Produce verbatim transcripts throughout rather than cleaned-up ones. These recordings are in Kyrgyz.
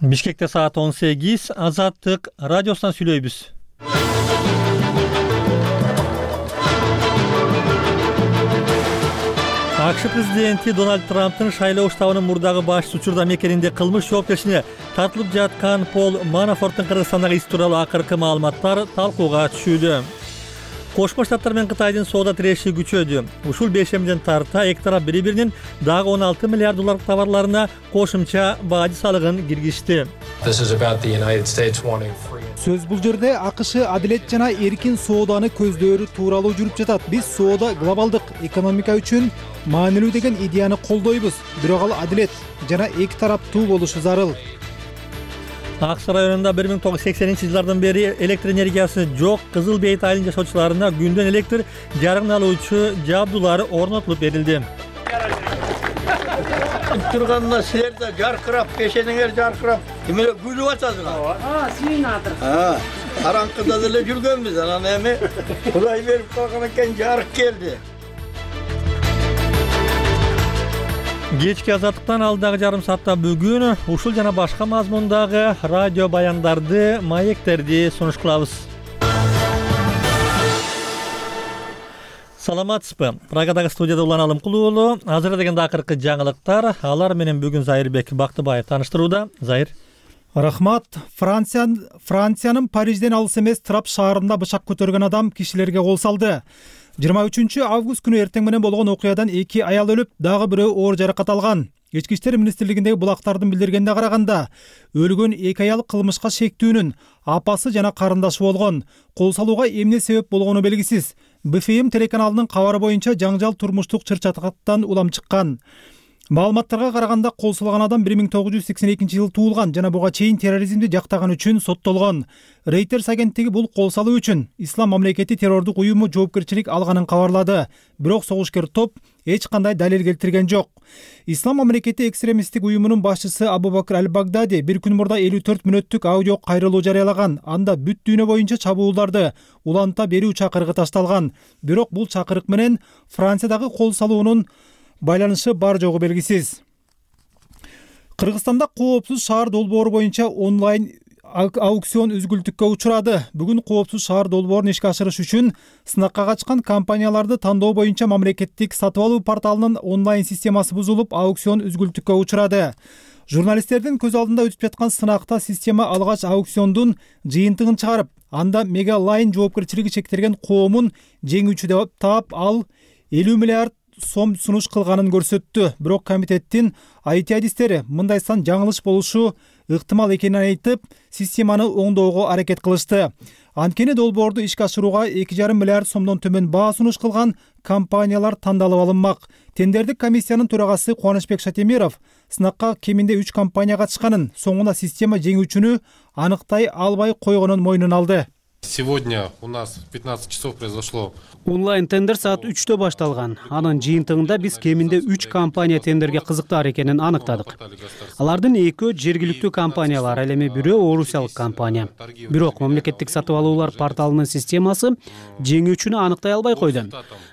Бишкекте саат он сегиз, Азаттык радиосунан сүйлөйбүз. АКШ президенти Дональд Трамптын шайлоо штабынын мурдагы башчысы учурда мекенинде кылмыш жоопкерчилигине тартылып жаткан Пол Манафорттун Кыргызстандагы иш тууралуу акыркы маалыматтар талкууга түшүүдө. Кошмо Штаттар менен Кытайдын соода тиреши күчөдү. Ушул бешемден тарта эки тарап бири-биринин дагы он алты миллиард долларлык товарларына кошумча бажы салыгын киргизди. Сөз бул жерде АКШ адилет жана эркин сооданы көздөөрү тууралуу жүрүп жатат. Биз соода глобалдык экономика үчүн маанилүү деген идеяны колдойбуз. Бирок ал адилет жана эки тараптуу болушу зарыл. Аксы районунда бир миң тогуз жүз сексенинчи жылдардан бери электр энергиясы жок Кызыл Бейт айылынын жашоочуларына күндөн электр жарыгын алуучу жабдуулар орнотулуп берилди. Турганына силер да жаркырап, пешениңер жаркырап, эмеле күлүп атасыңар. А, сүйүнатыр. А, караңкыда деле жүргөнбүз, анан эми Кудай берип калган экен, жарык келди. Кечки Азаттыктан алдагы жарым саатта бүгүн ушул жана башка мазмундагы радио баяндарды, маектерди сунуш кылабыз. Саламатсызбы? Прагадагы студияда Улан Алымкулуу уулу. Азыр дегенде акыркы жаңылыктар, алар менен бүгүн Зайырбек Бактыбаев тааныштырууда. Зайыр. Рахмат. Франция Франциянын Парижден алыс эмес Трап шаарында бышак көтөргөн адам кишилерге кол салды. жыйырма үчүнчү август күнү эртең менен болгон окуядан эки аял өлүп, дагы бирөө оор жаракат алган. Ички иштер министрлигиндеги булактардын билдиргенине караганда, өлгөн эки аял кылмышка шектүүнүн апасы жана карындашы болгон. Кол салууга эмне себеп болгону белгисиз. Б Ф М телеканалынын кабары боюнча жаңжал турмуштук чыр-чатактан улам чыккан. Маалыматтарга караганда кол салган адам бир миң тогуз жүз сексен экинчи жылы туулган жана буга чейин терроризмди жактаган үчүн соттолгон. Reuters агенттиги бул кол салуу үчүн Ислам мамлекети террордук уюму жоопкерчилик алганын кабарлады. Бирок согушкер топ эч кандай далил келтирген жок. Ислам мамлекети экстремисттик уюмунун башчысы Абу Бакр Аль-Багдadi бир күн мурда элүү төрт мүнөттүк аудио кайрылуу жарыялаган. Анда бүт дүйнө боюнча чабуулдарды уланта берүү чакырыгы ташталган. Бирок бул чакырык менен Франциядагы кол салуунун байланышы бар жогу белгисиз. Кыргызстанда коопсуз шаар долбоору боюнча онлайн аукцион үзгүлтүккө учурады. Бүгүн коопсуз шаар долбоорун ишке ашырыш үчүн сынакка качкан компанияларды тандоо боюнча мамлекеттик сатып алуу порталынын онлайн системасы бузулуп, аукцион үзгүлтүккө учурады. Журналисттердин көз алдында өтүп жаткан сынакта система алгач аукциондун жыйынтыгын чыгарып, анда Мегалайн жоопкерчилиги чектелген коомун жеңүүчү деп таап, ал элүү миллиард сом сунуш кылганын көрсөттү. Бирок комитеттин ай ти адистери мындай сан жаңылыш болушу ыктымал экенин айтып, системаны оңдоого аракет кылышты. Анткени долбоорду ишке ашырууга эки жарым миллиард сомдон төмөн баа сунуш кылган компаниялар тандалып алынмак. Тендердик комиссиянын төрагасы Кубанычбек Шатемиров сынакка кеминде үч компания катышканын, соңуна система жеңүүчүнү аныктай албай койгонун мойнуна алды. Сегодня у нас в пятнадцать часов произошло. Онлайн тендер саат үчтө башталган. Анын жыйынтыгында биз кеминде үч компания тендерге кызыктар экенин аныктадык. Алардын экөө жергиликтүү компаниялар, ал эми бирөө орусиялык компания. Бирок мамлекеттик сатып алуулар порталынын системасы жеңүүчүнү аныктай албай койду.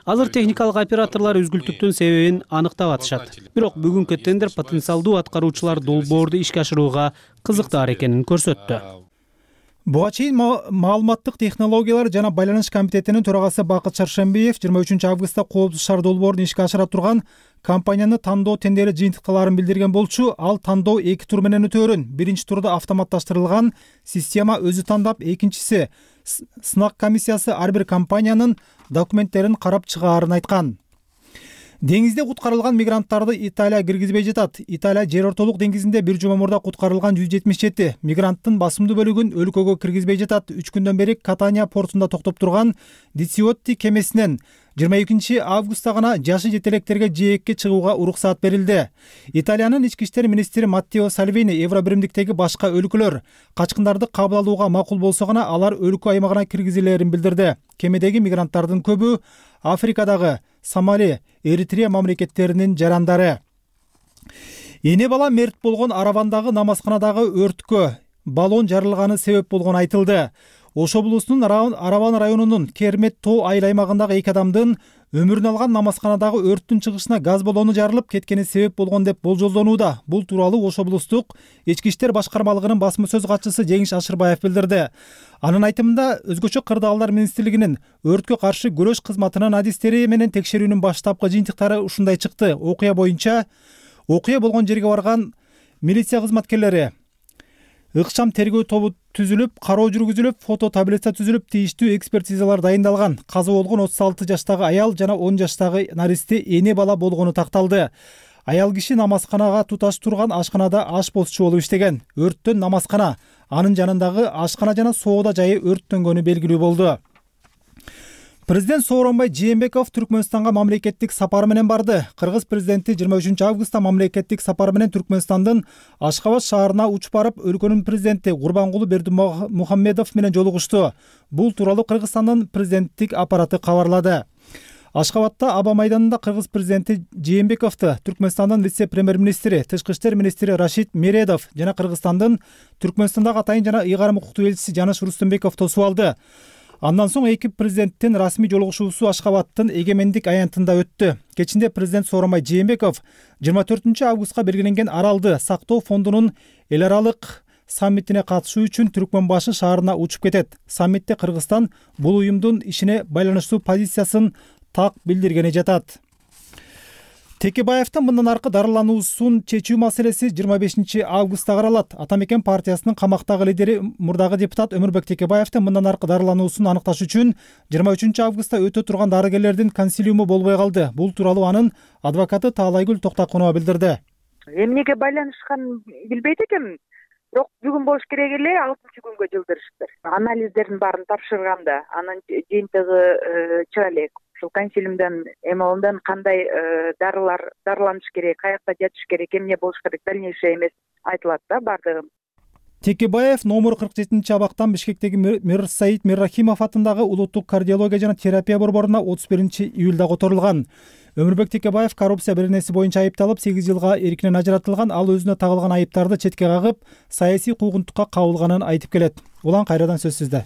Азыр техникалык операторлор үзгүлтүктүн себебин аныктап атышат. Бирок бүгүнкү тендер потенциалдуу аткаруучулар долбоорду ишке ашырууга кызыктар экенин көрсөттү. Буга чейин маалыматтык технологиялар жана байланыш комитетинин төрагасы Бакыт Шаршембиев жыйырма үчүнчү августта коопсуз шаар долбоорун ишке ашыра турган компанияны тандоо тендери жыйынтыкталарын билдирген болчу. Ал тандоо эки тур менен өтөөрүн. Биринчи турда автоматташтырылган система өзү тандап, экинчиси сынак комиссиясы ар бир компаниянын документтерин карап чыгаарын айткан. Деңизде куткарылган мигранттарды Италия киргизбей жатат. Италия жер ортолук деңизинде бир жума мурда куткарылган жүз жетимиш жети мигранттын басымдуу бөлүгүн өлкөгө киргизбей жатат. үч күндөн бери Катания портунда токтоп турган Дисиотти кемесинен жыйырма экинчи августта гана жашы жетелектерге жээкке чыгууга уруксаат берилди. Италиянын ички иштер министри Маттео Сальвини Евро биримдиктеги башка өлкөлөр качкындарды кабыл алууга макул болсо гана алар өлкө аймагына киргизилерин билдирди. Кемедеги мигранттардын көбү Африкадагы Сомали, Эритрея мамлекеттеринин жарандары. Эне бала мерт болгон Аравандагы намазканадагы өрткө баллон жарылганы себеп болгону айтылды. Ош облусунун Араван районунун Кермет тоо айыл аймагындагы эки адамдын өмүрүн алган намазканадагы өрттүн чыгышына газ баллону жарылып кеткени себеп болгон деп болжолдонууда. Бул тууралуу Ош облустук Ички иштер башкармалыгынын басма сөз катчысы Жеңиш Ашырбаев билдирди. Анын айтымында өзгөчө кырдаалдар министрлигинин өрткө каршы күрөш кызматынын адистери менен текшерүүнүн баштапкы жыйынтыктары ушундай чыкты. Окуя боюнча окуя болгон жерге барган милиция кызматкерлери ыкчам тергөө тобу түзүлүп, кароо жүргүзүлүп, фото таблица түзүлүп, тийиштүү экспертизалар дайындалган. Каза болгон отуз алты жаштагы аял жана он жаштагы наристе эне бала болгону такталды. Аял киши намазканага туташ турган ашканада аш посчу болуп иштеген. Өрттөн намазкана, анын жанындагы ашкана жана соода жайы өрттөнгөнү белгилүү болду. Президент Сооронбай Жээнбеков Түркмөнстанга мамлекеттик сапары менен барды. Кыргыз президенти жыйырма үчүнчү августта мамлекеттик сапары менен Түркмөнстандын Ашкабад шаарына учуп барып, өлкөнүн президенти Гурбангулы Бердимухамедов менен жолугушту. Бул тууралуу Кыргызстандын президенттик аппараты кабарлады. Ашкабадда Аба майданында кыргыз президенти Жээнбековду Түркмөнстандын вице-премьер-министри, тышкы иштер министри Рашид Мередов жана Кыргызстандын Түркмөнстандагы атайын жана ыйгарым укуктуу элчиси Жаныш Рустембеков тосуп алды. Андан соң эки президенттин расмий жолугушуусу Ашкабадтын эгемендик аянтында өттү. Кечинде президент Сооронбай Жээнбеков жыйырма төртүнчү августка белгиленген Аралды сактоо фондунун эл аралык саммитине катышуу үчүн Түркмөнбашы шаарына учуп кетет. Саммитте Кыргызстан бул уюмдун ишине байланыштуу позициясын так билдиргени жатат. Текебаевдин мындан аркы дарылануусун чечүү маселеси жыйырма бешинчи августта каралат. Атамекен партиясынын камактагы лидери мурдагы депутат Өмүрбек Текебаевдин мындан аркы дарылануусун аныкташ үчүн жыйырма үчүнчү августта өтө турган дарыгерлердин консилиуму болбой калды. Бул тууралуу анын адвокаты Таалайгүл Токтокунова билдирди. Эмнеге байланышканын билбейт экенмин. Бирок бүгүн болуш керек эле, алтынчы күнгө жылдырышты. Анализдердин баарын тапшырганда анын жыйынтыгы чыга элек. Ушул консилиумдан эмалындан кандай дарылар дарыланыш керек, каякта жатыш керек, эмне болуш керек, дальнейшее эмес айтылат да бардыгы. Текебаев номер кырк жетинчи абактан Бишкектеги Мирсаид Миррахимов атындагы улуттук кардиология жана терапия борборуна отуз биринчи июлда которулган. Өмүрбек Текебаев коррупция беренеси боюнча айыпталып, сегиз жылга эркинен ажыратылган. Ал өзүнө тагылган айыптарды четке кагып, саясий куугунтукка кабылганын айтып келет. Улан кайрадан сөз сизде.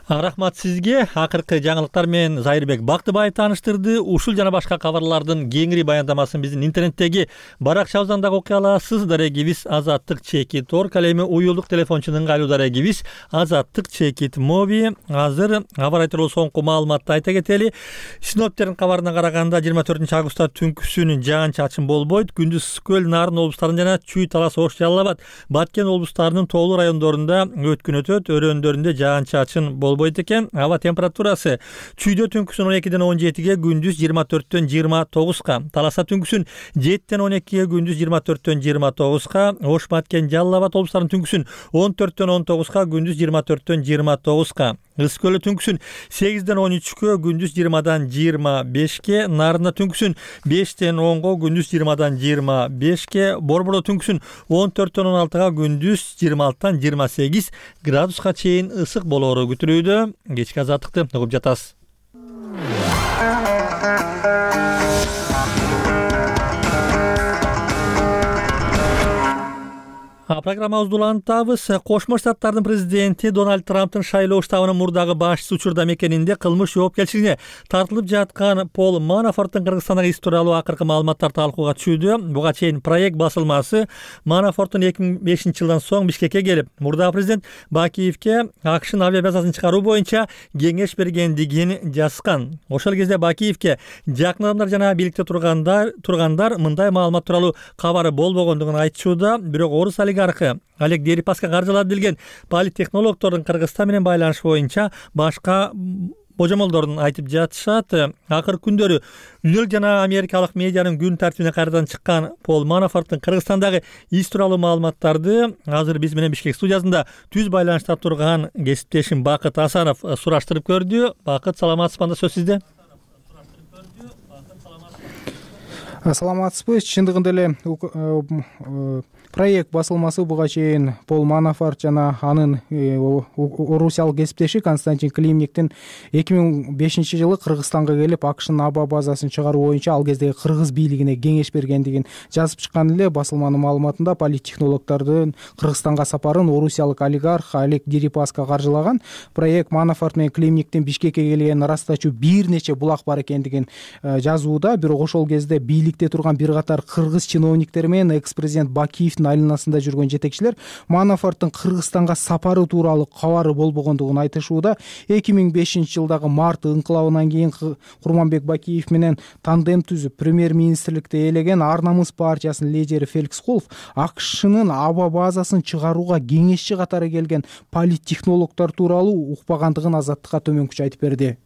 Рахмат сизге. Акыркы жаңылыктар менен Зайырбек Бактыбаев тааныштырды. Ушул жана башка кабарлардын кеңири баяндамасын биздин интернеттеги баракчабыздан дагы окуй аласыз. Дарегибиз Азаттык Чекит орг, ал эми уюлдук телефончунун айлуу дарегибиз Азаттык Чекит моби. Азыр аба ырайы тууралуу соңку маалыматты айта кетели. Синоптиктердин кабарына караганда жыйырма төртүнчү августта түнкүсүн жаан-чачын болбойт. Күндүз Көл, Нарын облустарында жана Чүй, Талас, Ош, Жалал Абад, Баткен облустарынын тоолуу райондорунда өткүн өтөт. Өрөөндөрүндө жаан-чачын болбойт экен. Аба температурасы Чүйдө түнкүсүн он экиден он жетиге, күндүз жыйырма төрттөн жыйырма тогузга, Таласа түнкүсүн жетиден он экиге, күндүз жыйырма төрттөн жыйырма тогузга, Ош, Баткен, Жалал Абад облустарынын түнкүсүн он төрттөн он тогузга, күндүз жыйырма төрттөн жыйырма тогузга, Ыс көлү түнкүсүн сегизден он үчкө, күндүз жыйырмадан жыйырма бешке, Нарында түнкүсүн бештен онго, күндүз жыйырмадан жыйырма бешке, Борбордо түнкүсүн он төрттөн он алтыга, күндүз жыйырма алтыдан жыйырма сегиз градуска чейин ысык болоору күтүлүүдө. Кечки азаттыкты угуп жатасыз. Программабызды улантабыз. Кошмо Штаттардын президенти Дональд Трамптын шайлоо штабынын мурдагы башчысы учурда мекенинде кылмыш жоопкерчилигине тартылып жаткан Пол Манафорттун Кыргызстандагы иш тууралуу акыркы маалыматтар талкууга түшүүдө. Буга чейин проект басылмасы Манафорттун эки миң бешинчи жылдан соң Бишкекке келип, мурдагы президент Бакиевке АКШнын авиабазасын чыгаруу боюнча кеңеш бергендигин жазган. Ошол кезде Бакиевке жакын адамдар жана бийликте тургандар тургандар мындай маалымат тууралуу кабары болбогондугун айтышууда. Бирок орус олигархы Олег Дерипаска каржылап билген политтехнологдордун Кыргызстан менен байланыш боюнча башка божомолдорун айтып жатышат. Акыркы күндөрү дүйнөлүк жана америкалык медианын күн тартибине кайрадан чыккан Пол Манафорттун Кыргызстандагы иш тууралуу маалыматтарды азыр биз менен Бишкек студиясында түз байланышта турган кесиптешим Бакыт Асанов сураштырып көрдү. Бакыт, саламатсызбы? Анда сөз сизде. Саламатсызбы? Чындыгында эле Проект басылмасы буга чейин Пол Манафорт жана анын орусиялык кесиптеши Константин Климниктин эки миң бешинчи жылы Кыргызстанга келип АКШнын аба базасын чыгаруу боюнча ал кездеги кыргыз бийлигине кеңеш бергендигин жазып чыккан эле. Басылманын маалыматында политтехнологдордун Кыргызстанга сапарын орусиялык олигарх Олег Дерипаска каржылаган. Проект Манафорт менен Климниктин Бишкекке келгенин ырастачуу бир нече булак бар экендигин жазууда. Бирок ошол кезде бийликте турган бир катар кыргыз чиновниктери менен экс-президент Бакиевдин айланасында жүргөн жетекчилер Манафорттун Кыргызстанга сапары тууралуу кабары болбогондугун айтышууда. эки миң бешинчи жылдагы март ыңкылабынан кийин Курманбек Бакиев менен тандем түзүп премьер-министрликти ээлеген Ар намыс партиясынын лидери Феликс Колов АКШнын аба базасын чыгарууга кеңешчи катары келген политтехнологдор тууралуу укпагандыгын Азаттыкка төмөнкүчө айтып берди.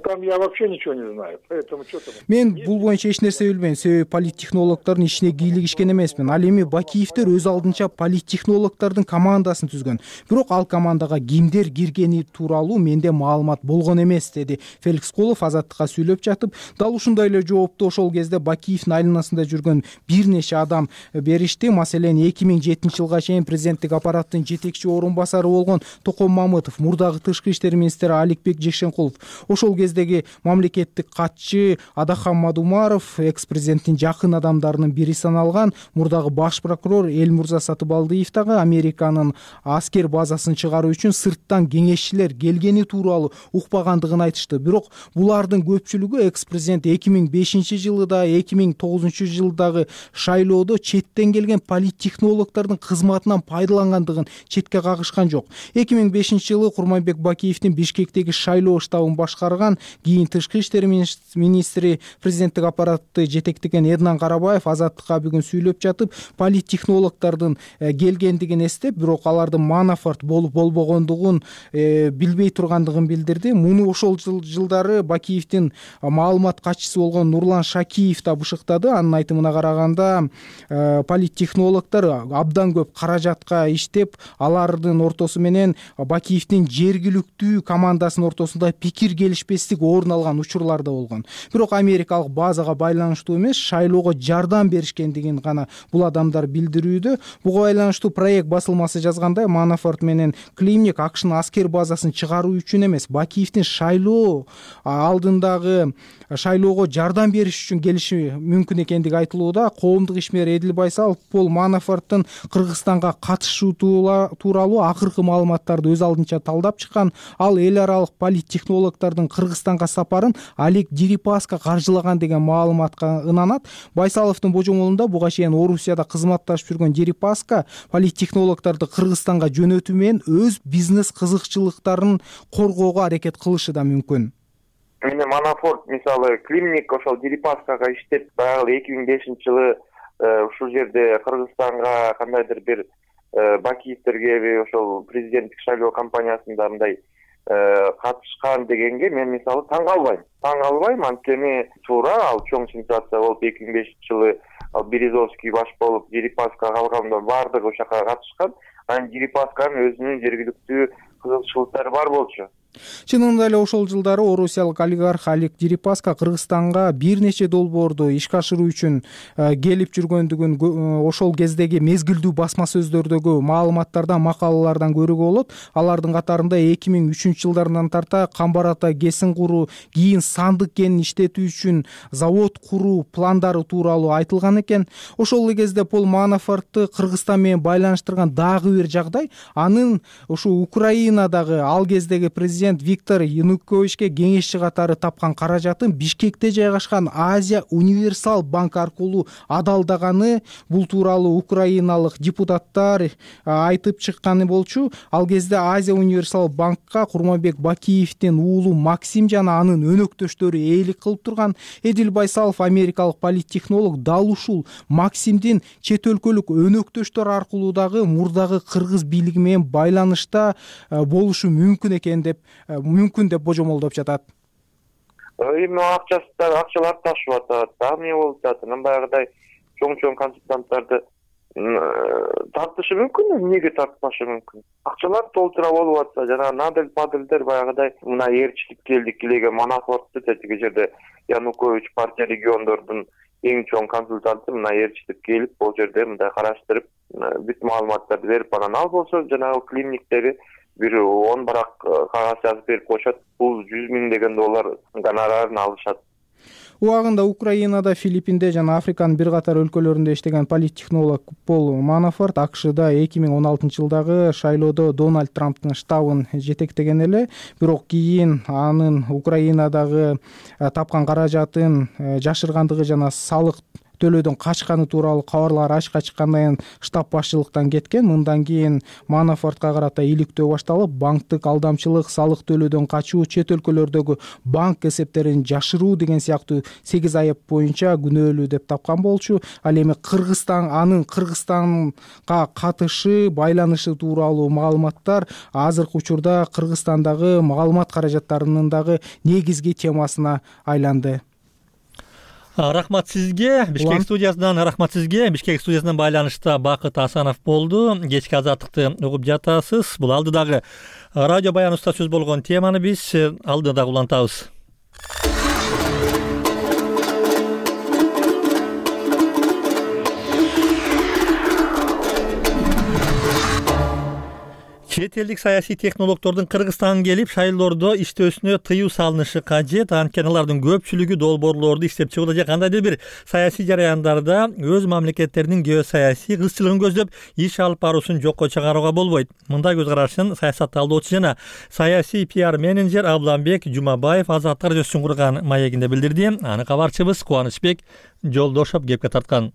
Там я вообще ничего не знаю, поэтому что там. Мен бул боюнча эч нерсе билбейм, себеби политтехнологдордун ишине кийлигишкен эмесмин. Ал эми Бакиевдер өз алдынча политтехнологдордун командасын түзгөн. Бирок ал командага кимдер киргени тууралуу менде маалымат болгон эмес, деди Феликс Колов Азаттыкка сүйлөп жатып. Дал ушундай эле жоопту ошол кезде Бакиевдин айланасында жүргөн бир нече адам беришти. Маселен, эки миң жетинчи жылга чейин президенттик аппараттын жетекчи орун басары болгон Токон Мамытов, мурдагы тышкы иштер министри Аликбек Жекшенкулов, ошол кездеги мамлекеттик катчы Адахан Мадумаров, экс-президенттин жакын адамдарынын бири саналган мурдагы баш прокурор Элмурза Сатыбалдиев дагы Американын аскер базасын чыгаруу үчүн сырттан кеңешчилер келгени тууралуу укпагандыгын айтышты. Бирок булардын көпчүлүгү экс-президент эки миң бешинчи жылы да эки миң тогузунчу жылдагы шайлоодо четтен келген политтехнологдордун кызматынан пайдалангандыгын четке кагышкан жок. эки миң бешинчи жылы Курманбек Бакиевдин Бишкектеги шайлоо штабын башкарган, кийин тышкы иштер министри президенттик аппаратты жетектеген Эднан Карабаев Азаттыкка бүгүн сүйлөп жатып, политтехнологдордун келгендигин эстеп, бирок алардын Манафорт болуп болбогондугун билбей тургандыгын билдирди. Муну ошол жылдары Бакиевдин маалымат катчысы болгон Нурлан Шакиев да бышыктады. Анын айтымына караганда, политтехнологдор абдан көп каражатка иштеп, алардын ортосу менен Бакиевдин жергиликтүү командасынын ортосунда пикир келишпестик орун алган учурлар да болгон. Бирок америкалык базага байланыштуу эмес, шайлоого жардам беришкендигин гана бул адамдар билдирүүдө. Буга байланыштуу проект басылмасы жазгандай, Манафорт менен Климник АКШнын аскер базасын чыгаруу үчүн эмес, Бакиевдин шайлоо алдындагы шайлоого жардам бериш үчүн келиши мүмкүн экендиги айтылууда. Коомдук ишмер Эдил Байсалов Пол Манафорттун Кыргызстанга катышуу тууралуу акыркы маалыматтарды өз алдынча талдап чыккан. Ал эл аралык политтехнологдордун Кыргызстанга сапарын Олег Дерипаска каржылаган деген маалыматка ынанат. Байсаловдун божомолунда буга чейин Орусияда кызматташып жүргөн Дерипаска политтехнологдорду Кыргызстанга жөнөтүү менен өз бизнес кызыкчылыктарын коргоого аракет кылышы да мүмкүн. Мени Манафорт мисалы Климник ошол Дерипаскага иштеп, баягы эки миң бешинчи жылы ушул жерде Кыргызстанга кандайдыр бир Бакиевдерге ошол президенттик шайлоо кампаниясында мындай катышкан дегенге мен мисалы таң калбайм. Таң калбайм, анткени туура ал чоң сенсация болуп эки миң бешинчи жылы ал Березовский баш болуп Дерипаска калганда баардыгы ошака катышкан. Анан Дерипасканын өзүнүн жергиликтүү кызыкчылыктары бар болчу. Чынында эле ошол жылдары орусиялык олигарх Олег Дерипаска Кыргызстанга бир нече долбоорду ишке ашыруу үчүн келип жүргөндүгүн ошол кездеги мезгилдүү басма сөздөрдөгү маалыматтардан, макалалардан көрүүгө болот. Алардын катарында эки миң үчүнчү жылдарынан тарта Камбар ата кесин куруу, кийин сандык кенин иштетүү үчүн завод куруу пландары тууралуу айтылган экен. Ошол эле кезде Пол Манафортты Кыргызстан менен байланыштырган дагы бир жагдай, анын ушу Украинадагы ал кездеги президент Виктор Януковичке кеңешчи катары тапкан каражатын Бишкекте жайгашкан Азия Универсал банк аркылуу адалдаганы, бул тууралуу украиналык депутаттар айтып чыкканы болчу. Ал кезде Азия Универсал банкка Курманбек Бакиевдин уулу Максим жана анын өнөктөштөрү ээлик кылып турган. Эдил Байсалов америкалык политтехнолог дал ушул Максимдин чет өлкөлүк өнөктөштөр аркылуу дагы мурдагы кыргыз бийлиги менен байланышта болушу мүмкүн экен деп мүмкүн деп божомолдоп жатат. Эми акчасы акчалар ташып атат, дагы эмне болуп жатат? Анан баягыдай чоң-чоң консультанттарды тартышы мүмкүн, эмнеге тартпашы мүмкүн? Акчалар толтура болуп атса, жана Надель Падельдер баягыдай мына ээрчилик келдик, килеген Манафортты тетиги жерде Янукович партия региондордун эң чоң консультанты мына ээрчитип келип бул жерде мындай караштырып бүт маалыматтарды берип анан ал болсо жанагы климниктеги бир он барак кагаз жазып берип коюшат. Бул жүз миң деген доллар гонорарын алышат. Убагында Украинада, Филиппинде жана Африканын бир катар өлкөлөрүндө иштеген политтехнолог Пол Манафорт АКШда эки миң он алтынчы жылдагы шайлоодо Дональд Трамптын штабын жетектеген эле, бирок кийин анын Украинадагы тапкан каражатын жашыргандыгы жана салык төлөөдөн качканы тууралуу кабарлар ачыкка чыккандан кийин штаб башчылыктан кеткен. Мындан кийин Манафортко карата иликтөө башталып, банктык алдамчылык, салык төлөөдөн качуу, чет өлкөлөрдөгү банк эсептерин жашыруу деген сыяктуу сегиз айып боюнча күнөөлүү деп тапкан болчу. Ал эми Кыргызстан, анын Кыргызстанга катышы, байланышы тууралуу маалыматтар азыркы учурда Кыргызстандагы маалымат каражаттарынын дагы негизги темасына айланды. Рахмат сизге. Бишкек студиясынан рахмат сизге. Бишкек студиясынан байланышта Бакыт Асанов болду. Кечки азаттыкты угуп жатасыз. Бул алдыдагы радио баяныбызда сөз болгон теманы биз алдыда улантабыз. Чет элдик саясий технологдордун Кыргызстанга келип шайлоодо иштөөсүнө тыюу салынышы кажет. Анткени алардын көпчүлүгү долбоорлорду иштеп чыгууда же кандайдыр бир саясий жараяндарда өз мамлекеттеринин геосаясий кызчылыгын көздөп иш алып баруусун жокко чыгарууга болбойт. Мындай көз карашын саясат талдоочу жана саясий пиар менеджер Абламбек Жумабаев Азаттык радиосун курган маегинде билдирди. Аны кабарчыбыз Кубанычбек Жолдошов кепке тарткан.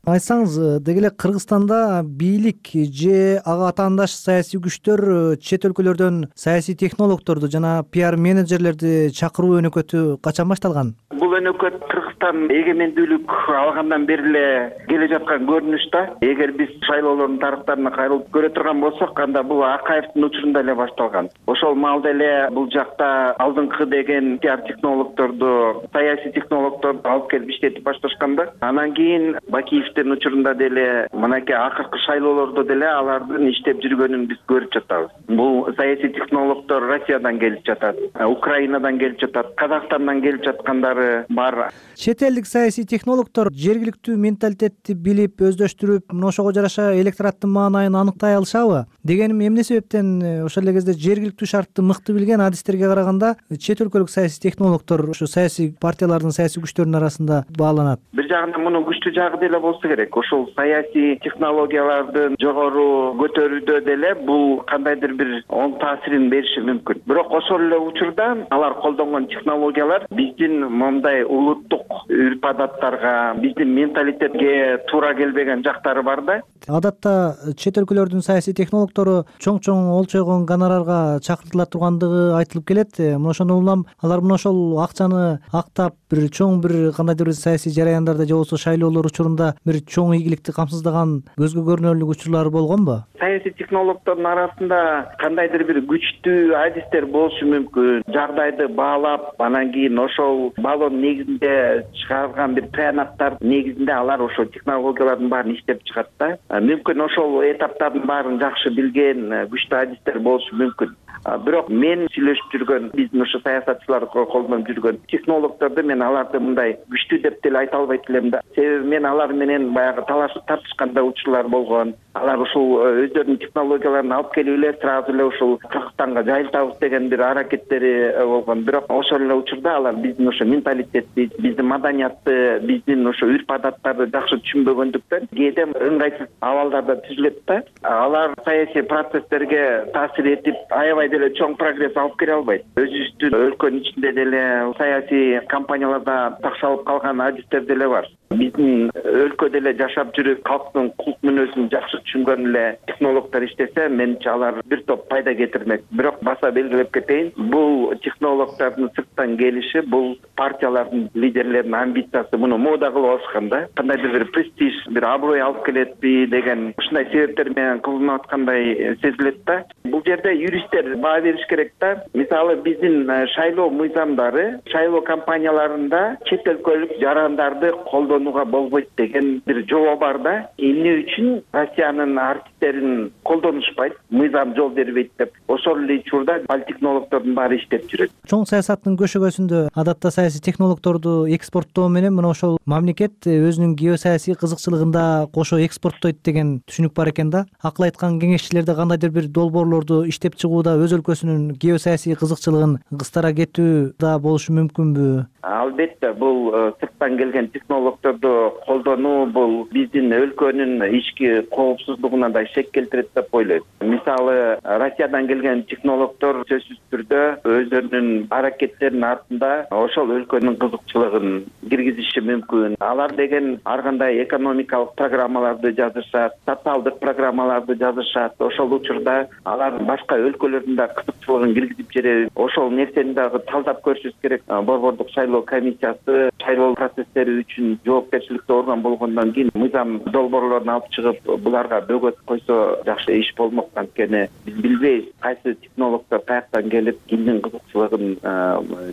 Айтсаңыз, деги эле Кыргызстанда бийлик же ага атаандаш саясий күчтөр чет өлкөлөрдөн саясий технологдорду жана пиар менеджерлерди чакыруу өнөкөтү качан башталган? Бул өнөкөт Кыргызстан эгемендүүлүк алгандан бери эле келе жаткан көрүнүш да. Эгер биз шайлоолордун тарыхтарына кайрылып көрө турган болсок, анда бул Акаевдин учурунда эле башталган. Ошол маалда эле бул жакта алдыңкы деген пиар технологдорду, саясий технологдорду алып келип иштетип башташканда, анан кийин Бакиевдин учурунда деле мынакей акыркы шайлоолордо деле алардын иштеп жүргөнүн биз көрүп жатабыз. Бул саясий технологдор Россиядан келип жатат, Украинадан келип жатат, Казакстандан келип жаткандары бар. Чет элдик саясий технологдор жергиликтүү менталитетти билип, өздөштүрүп, мына ошого жараша электораттын маанайын аныктай алышабы? Дегеним, эмне себептен ошол эле кезде жергиликтүү шартты мыкты билген адистерге караганда чет өлкөлүк саясий технологдор ушу саясий партиялардын, саясий күчтөрдүн арасында бааланат? Бир жагынан мунун күчтүү жагы деле болсо керек. Ошол саясий технологиялардын жогору көтөрүүдө деле бул кандайдыр бир оң таасирин бериши мүмкүн. Бирок ошол эле учурда алар колдонгон технологиялар биздин мындай улуттук үрп-адаттарга, биздин менталитетке туура келбеген жактары бар да. Адатта чет өлкөлөрдүн саясий технологдору чоң-чоң олчойгон гонорарга чакыртыла тургандыгы айтылып келет. Мына ошондон улам алар мына ошол акчаны актап бир чоң бир кандайдыр бир саясий жараяндарда же болбосо шайлоолор учурунда бир чоң ийгиликти камсыздаган көзгө көрүнөрлүк учурлары болгонбу? Саясий технологдордун арасында кандайдыр бир күчтүү адистер болушу мүмкүн. Жагдайды баалап, анан кийин ошол балон негизинде чыгарган бир тыянактар негизинде алар ошол технологиялардын баарын иштеп чыгат да. Мүмкүн ошол этаптардын баарын жакшы билген күчтүү адистер болушу мүмкүн. Бирок мен сүйлөшүп жүргөн, биздин ошо саясатчылар колдонуп жүргөн технологдорду мен аларды мындай күчтүү деп деле айта албайт элем да. Себеби мен алар менен баягы талашып тартышканда учурлар болгон. Алар ушул өздөрүнүн технологияларын алып келип эле сразу эле ушул Кыргызстанга жайылтабыз деген бир аракеттери болгон. Бирок ошол эле учурда алар биздин ошо менталитетти, биздин маданиятты, биздин ошо үрп-адаттарды жакшы түшүнбөгөндүктөн кээде ыңгайсыз абалдарда түзүлөт да. Алар саясий процесстерге таасир этип, аябай деле чоң прогресс алып келе албайт. Өзүбүздүн өлкөнүн ичинде деле саясий кампанияларда такшалып калган адистер деле бар. Биздин өлкөдө эле жашап жүрүп, калктын кулк мүнөзүн жакшы түшүнгөн эле технологдор иштесе, менимче алар бир топ пайда кетирмек. Бирок баса белгилеп кетейин, бул технологдордун сырттан келиши, бул партиялардын лидерлеринин амбициясы муну мода кылып алышкан да. Кандайдыр бир престиж, бир аброй алып келетпи деген ушундай себептер менен кылынып аткандай сезилет да. Бул жерде юристтер баа бериш керек да. Мисалы, биздин шайлоо мыйзамдары шайлоо кампанияларында чет өлкөлүк жарандарды колдоо колдонууга болбойт деген бир жобо бар да. Эмне үчүн Россиянын артисттерин колдонушпайт, мыйзам жол бербейт деп. Ошол эле учурда политтехнологдордун баары иштеп жүрөт. Чоң саясаттын көшөгөсүндө адатта саясий технологдорду экспорттоо менен мына ошол мамлекет өзүнүн геосаясий кызыкчылыгын да кошо экспорттойт деген түшүнүк бар экен да. Акыл айткан кеңешчилерде кандайдыр бир долбоорлорду иштеп чыгууда өз өлкөсүнүн геосаясий кызыкчылыгын кыстара кетүү да болушу мүмкүнбү? Албетте, бул сырттан келген технологдорду колдонуу бул биздин өлкөнүн ички коопсуздугуна да шек келтирет деп ойлойм. Мисалы, Россиядан келген технологдор сөзсүз түрдө өздөрүнүн аракеттеринин артында ошол өлкөнүн кызыкчылыгын киргизиши мүмкүн. Алар деген ар кандай экономикалык программаларды жазышат, социалдык программаларды жазышат. Ошол учурда алар башка өлкөлөрдүн да кызыкчылыгын киргизип жиберет. Ошол нерсени дагы талдап көрүшүбүз керек. Борбордук шайлоо комиссиясы шайлоо процесстери үчүн жоопкерчиликтүү орган болгондон кийин мыйзам долбоорлорун алып чыгып, буларга бөгөт койсо жакшы иш болмок. Анткени биз билбейбиз кайсы технологдор каяктан келип кимдин кызыкчылыгын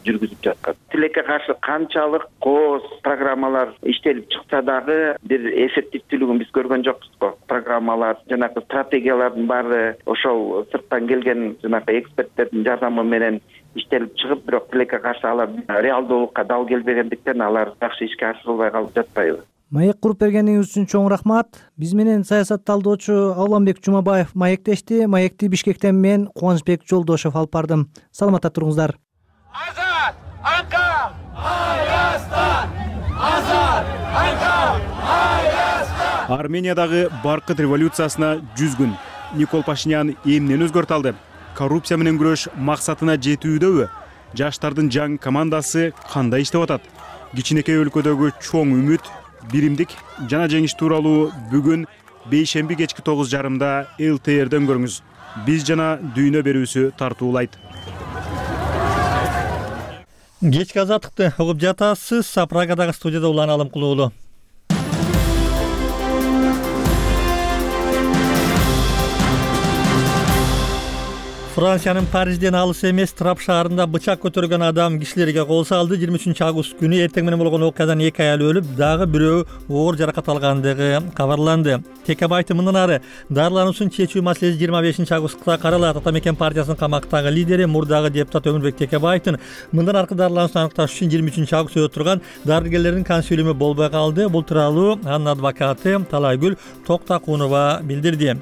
жүргүзүп жаткан. Тилекке каршы канчалык кооз программалар иштелип чыкса дагы бир эффективдүүлүгүн биз көргөн жокпуз го. Программалар, жанагы стратегиялардын баары ошол сырттан келген жанагы эксперттердин жардамы менен иштелип чыгып, бирок тилекке каршы алар реалдуулукка дал келбегендиктен алар жакшы ишке ашырылбай калып жатпайбы? Маек куруп бергениңиз үчүн чоң рахмат. Биз менен саясат талдоочу Албанбек Жумабаев маектешти. Маекти Бишкектен мен Кубанычбек Жолдошов алып бардым. Саламатта туруңуздар. Азат! Анка! Аястан! Азат! Анка! Аястан! Армениядагы баркыт революциясына жүз күн. Никол Пашинян эмнени өзгөртө алды? Коррупция менен күрөш максатына жетүүдөбү? Жаштардын жаңы командасы кандай иштеп атат? Кичинекей өлкөдөгү чоң үмүт, биримдик жана жеңиш тууралуу бүгүн бейшемби кечки тогуз жарымда эл тэ эрден көрүңүз. Биз жана дүйнө берүүсү тартуулайт. Кечки азаттыкты угуп жатасыз. Прагадагы студияда Улан Алымкулуулу. Франциянын Парижден алыс эмес Трап шаарында бычак көтөргөн адам кишилерге кол салды. жыйырма үчүнчү август күнү эртең менен болгон окуядан эки аял өлүп, дагы бирөө оор жаракат алгандыгы кабарланды. Текебайты мындан ары дарылануусун чечүү маселеси жыйырма бешинчи августта каралат. Ата мекен партиясынын камактагы лидери, мурдагы депутат Өмүрбек Текебайдын мындан аркы дарылануусун аныкташ үчүн жыйырма үчүнчү августта өтүп турган дарыгерлердин консилиуму болбой калды. Бул тууралуу анын адвокаты Талайгүл Токтакунова билдирди.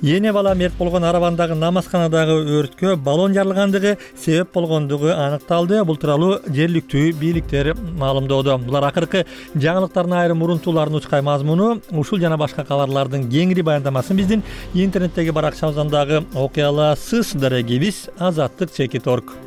Эне бала мерт болгон Арабандагы намазканадагы өрткө баллон жарылгандыгы себеп болгондугу аныкталды. Бул тууралуу жергиликтүү бийликтер маалымдоодо. Булар акыркы жаңылыктардын айрым урунтууларын учкай мазмуну. Ушул жана башка кабарлардын кеңири баяндамасын биздин интернеттеги баракчабыздан дагы окуй аласыз. Дарегибиз азаттык чекит точка орг.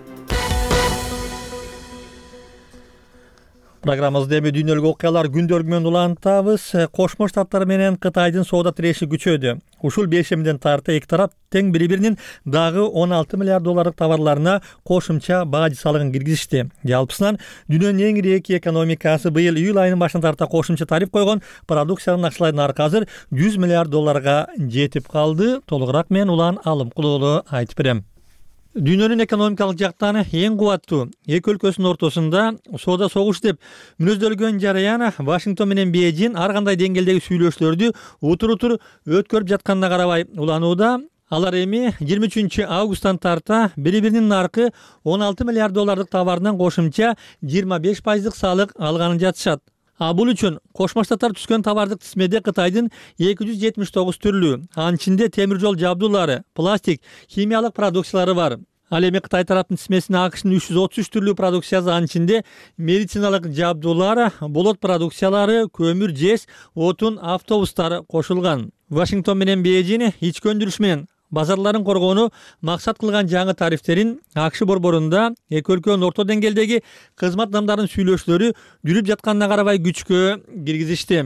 Программабызда эми дүйнөлүк окуялар күндөлүгү менен улантабыз. Кошмо Штаттар менен Кытайдын соода тиреши күчөдү. Ушул бейшемден тарта эки тарап тең бири-биринин дагы он алты миллиард долларлык товарларына кошумча бажы салыгын киргизишти. Жалпысынан дүйнөнүн эң ири эки экономикасы быйыл июль айынын башынан тарта кошумча тариф койгон продукциянын акчалайдын аркы азыр жүз миллиард долларга жетип калды. Толугураак мен Улан Алымкулуулу айтып берем. Дүйнөнүн экономикалык жактан эң кубаттуу эки өлкөсүнүн ортосунда соода согуш деп мүнөздөлгөн жараян Вашингтон менен Бейжин ар кандай деңгээлдеги сүйлөшүүлөрдү утур-утур өткөрүп жатканына карабай уланууда. Алар эми жыйырма үчүнчү августтан тарта бири-биринин аркы он алты миллиард доллардык товарынан кошумча жыйырма беш пайыздык салык алганын жатышат. А бул үчүн Кошмо Штаттар түзгөн товардык тизмеде Кытайдын эки жүз жетимиш тогуз түрлүү, анын ичинде темир жол жабдуулары, пластик, химиялык продукциялары бар. Ал эми Кытай тараптын тизмесине АКШнын үч жүз отуз үч түрлүү продукциясы, анын ичинде медициналык жабдуулар, болот продукциялары, көмүр, жез, отун, автобустар кошулган. Вашингтон менен Бейжин ички өндүрүш менен базарларын коргоону максат кылган жаңы тарифтерин АКШ борборунда эки өлкөнүн орто деңгээлдеги кызмат адамдарынын сүйлөшүүлөрү жүрүп жатканына карабай күчкө киргизишти.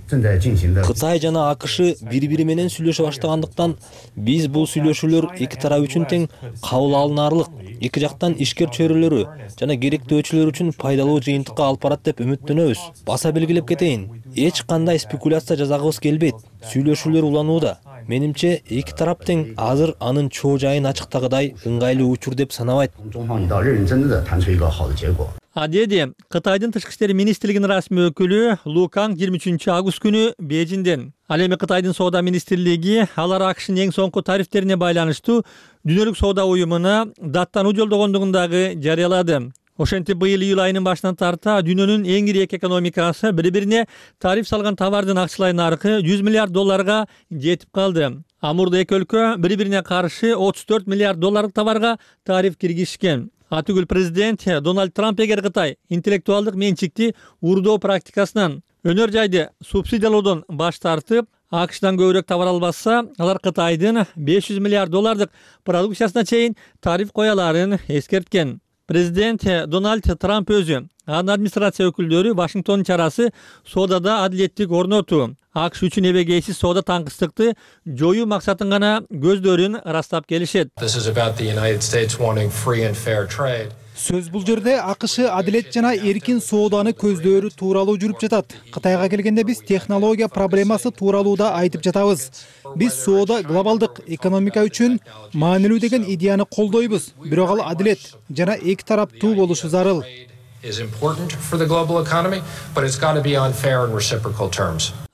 Кытай жана АКШ бири-бири менен сүйлөшө баштагандыктан биз бул сүйлөшүүлөр эки тарап үчүн тең кабыл алынаарлык, эки жактан ишкер чөйрөлөрү жана керектөөчүлөр үчүн пайдалуу жыйынтыкка алып барат деп үмүттөнөбүз. Баса белгилеп кетейин, эч кандай спекуляция жасагыбыз келбейт. Сүйлөшүүлөр уланууда. Менимче эки тарап тең азыр анын чоо жайын ачыктагыдай ыңгайлуу учур деп санабайт. А деди Кытайдын тышкы иштер министрлигинин расмий өкүлү Лу Канг жыйырма үчүнчү август күнү Бейжиңден. Ал эми Кытайдын соода министрлиги алар АКШнын эң соңку тарифтерине байланыштуу дүйнөлүк соода уюмуна даттануу жолдогондугун дагы жарыялады. Ошентип быйыл июль айынын башынан тарта дүйнөнүн эң ири эки экономикасы бири-бирине тариф салган товардын акчалай наркы жүз миллиард долларга жетип калды. Амурда эки өлкө бири-бирине каршы отуз төрт миллиард долларлык товарга тариф киргизишкен. Атүгүл президент Дональд Трамп эгер Кытай интеллектуалдык менчикти урдоо практикасынан өнөр жайды субсидиялоодон баш тартып, АКШдан көбүрөөк товар албаса, алар Кытайдын беш жүз миллиард доллардык продукциясына чейин тариф кояларын эскерткен. Президент Дональд Трамп өзү, анын администрация өкүлдөрү Вашингтондун чарасы соодада адилеттик орнотуу, АКШ үчүн эбегейсиз соода таңкыстыкты жоюу максатын гана көздөрүн ырастап келишет. Сөз бул жерде АКШ адилет жана эркин сооданы көздөрү тууралуу жүрүп жатат. Кытайга келгенде биз технология проблемасы тууралуу да айтып жатабыз. Биз соода глобалдык экономика үчүн маанилүү деген идеяны колдойбуз, бирок ал адилет жана эки тараптуу болушу зарыл.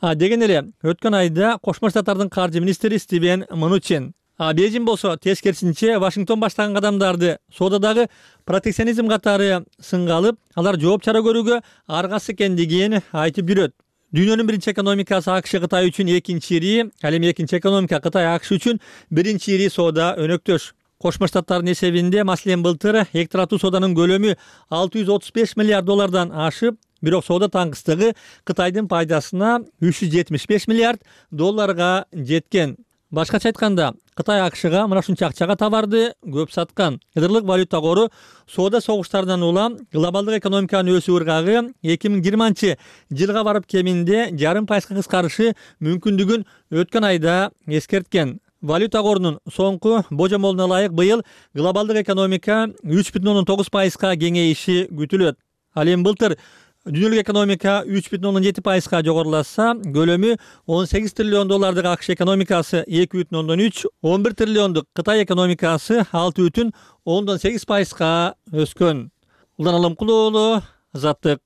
А деген эле өткөн айда Кошмо Штаттардын каржы министри Стивен Мнучин. А Бейжиң болсо тескерисинче Вашингтон баштаган кадамдарды соодадагы протекционизм катары сынга алып, алар жооп чара көрүүгө аргасыз экендигин айтып жүрөт. Дүйнөнүн биринчи экономикасы АКШ Кытай үчүн экинчи ири, ал эми экинчи экономика Кытай АКШ үчүн биринчи ири соода өнөктөш. Кошмо Штаттардын эсебинде маселен былтыр эки тараптуу сооданын көлөмү алты жүз отуз беш миллиард доллардан ашып, бирок соода таңкыстыгы Кытайдын пайдасына үч жүз жетимиш беш миллиард долларга жеткен. Башкача айтканда, Кытай АКШга мына ушунча акчага товарды көп саткан. Ядырлык валюта кору соода согуштарынан улам глобалдык экономиканын өсүү ыргагы эки миң жыйырманчы жылга барып кеминде жарым пайызга кыскарышы мүмкүндүгүн өткөн айда эскерткен. Валюта корунун соңку божомолуна ылайык быйыл глобалдык экономика үч бүтүн ондон тогуз пайызга кеңейиши күтүлөт. Ал эми былтыр дүйнөлүк экономика үч бүтүн ондон жети пайызга жогоруласа, көлөмү он сегиз триллион доллардык АКШ экономикасы эки бүтүн ондон үч, он бир триллиондук Кытай экономикасы алты бүтүн ондон сегиз пайызга өскөн. Улан Алымкулуу уулу, Азаттык.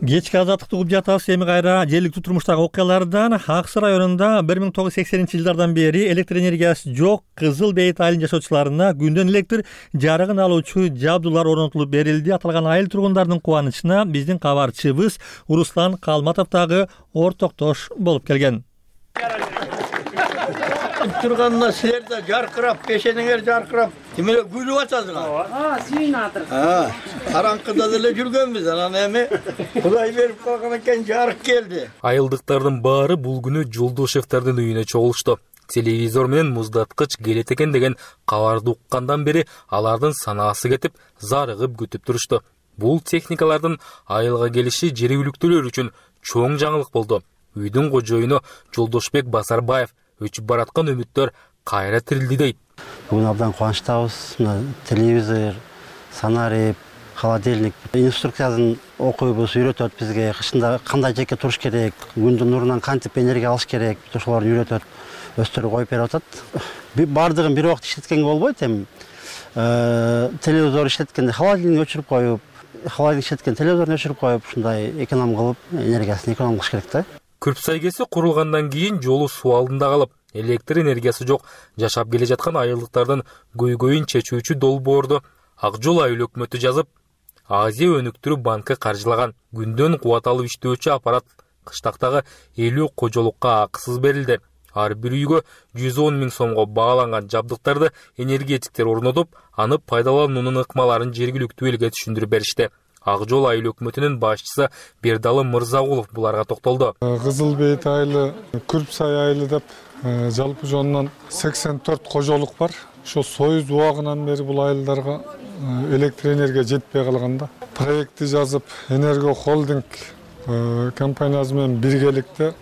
Кечки азаттыкты угуп жатабыз. Эми кайра жергиликтүү турмуштагы окуялардан. Аксы районунда бир миң тогуз жүз сексенинчи жылдардан бери электр энергиясы жок Кызыл Бейит айылынын жашоочуларына күндөн электр жарыгын алуучу жабдуулар орнотулуп берилди. Аталган айыл тургундардын кубанычына биздин кабарчыбыз Руслан Калматов дагы ортоктош болуп келген. Турганына силер да жаркырап, пешениңер жаркырап, эмеле күлүп атасыңар. А, сүйүнүп атыр. А, караңкыда деле жүргөнбүз, анан эми Кудай берип калган экен, жарык келди. Айылдыктардын баары бул күнү Жолдошевдардын үйүнө чогулушту. Телевизор менен муздаткыч келет экен деген кабарды уккандан бери алардын санаасы кетип, зарыгып күтүп турушту. Бул техникалардын айылга келиши жергиликтүүлөр үчүн чоң жаңылык болду. Үйдүн кожоюну Жолдошбек Басарбаев өчүп бараткан үмүттөр кайра тирилди дейт. Бүгүн абдан кубанычтабыз. Телевизор, санарип, холодильник, инструкциясын окуйбуз, үйрөтөт бизге. Кышында кандай жеке туруш керек, күндүн нурунан кантип энергия алыш керек, ошолорду үйрөтөт, өстөрүп коюп берип атат. Бардыгын бир убакта иштеткенге болбойт эми. Телевизор иштеткенде холодильник өчүрүп коюп, холодильник иштеткен телевизорду өчүрүп коюп, ушундай эконом кылып, энергиясын эконом кылыш керек да. Күрпсай кеси курулгандан кийин жолу суу алдында калып, электр энергиясы жок жашап келе жаткан айылдыктардын көйгөйүн чечүүчү долбоорду Ак Жол айыл өкмөтү жазып, Азия өнүктүрүү банкы каржылаган. Күндөн кубат алып иштөөчү аппарат кыштактагы элүү кожолукка акысыз берилди. Ар бир үйгө жүз он миң сомго бааланган жабдыктарды энергетиктер орнотуп, аны пайдалануунун ыкмаларын жергиликтүү элге түшүндүрүп беришти. Ак Жол айыл өкмөтүнүн башчысы Бердалы Мырзагулов буларга токтолду. Кызыл Бейит айылы, Күрпсай айылы деп жалпы жонунан сексен төрт кожолук бар. Ошо Союз убагынан бери бул айылдарга электр энергия жетпей калганда проектти жазып, Энерго холдинг компаниясы менен биргеликте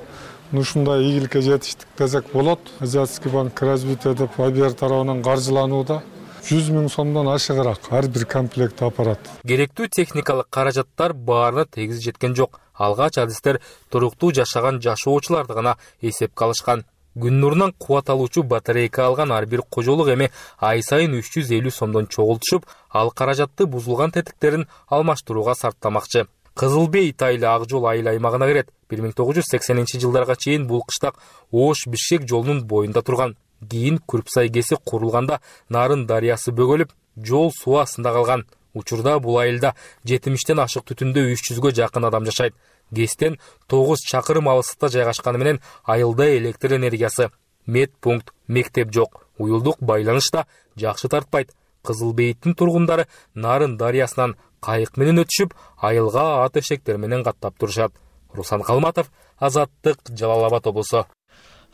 ушундай ийгиликке жетиштик десек болот. Азиатский банк развития деп Абер тарабынан каржыланууда. жүз миң сомдон ашыгыраак ар бир комплект аппарат. Керектүү техникалык каражаттар баарына тегиз жеткен жок. Алгач адистер туруктуу жашаган жашоочуларды гана эсепке алышкан. Күн нурунан кубат алуучу батарейка алган ар бир кожолук эми ай сайын үч жүз элүү сомдон чогултушуп, ал каражатты бузулган тетиктерин алмаштырууга сарптамакчы. Кызыл Бейт айыл Ак жол айыл аймагына кирет. бир миң тогуз жүз сексенинчи жылдарга чейин бул кыштак Ош Бишкек жолунун боюнда турган. Кийин Күрпсай КЭСи курулганда Нарын дарыясы бөгөлүп, жол суу астында калган. Учурда бул айылда жетимиштен ашык түтүндө үч жүзгө жакын адам жашайт. КЭСтен тогуз чакырым алыстыкта жайгашканы менен айылда электр энергиясы, медпункт, мектеп жок. Уюлдук байланыш да жакшы тартпайт. Кызыл Бейттин тургундары Нарын дарыясынан кайык менен өтүшүп, айылга ат эшектер менен каттап турушат. Руслан Калматов, Азаттык, Жалал Абад облусу.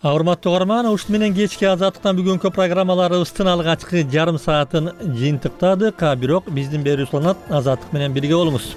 Урматтуу угарман, ушун менен кечки Азаттыктан бүгүнкү программаларыбыздын алгачкы жарым саатын жыйынтыктадык. Бирок биздин берүүчү Азаттык менен бирге болуңуз.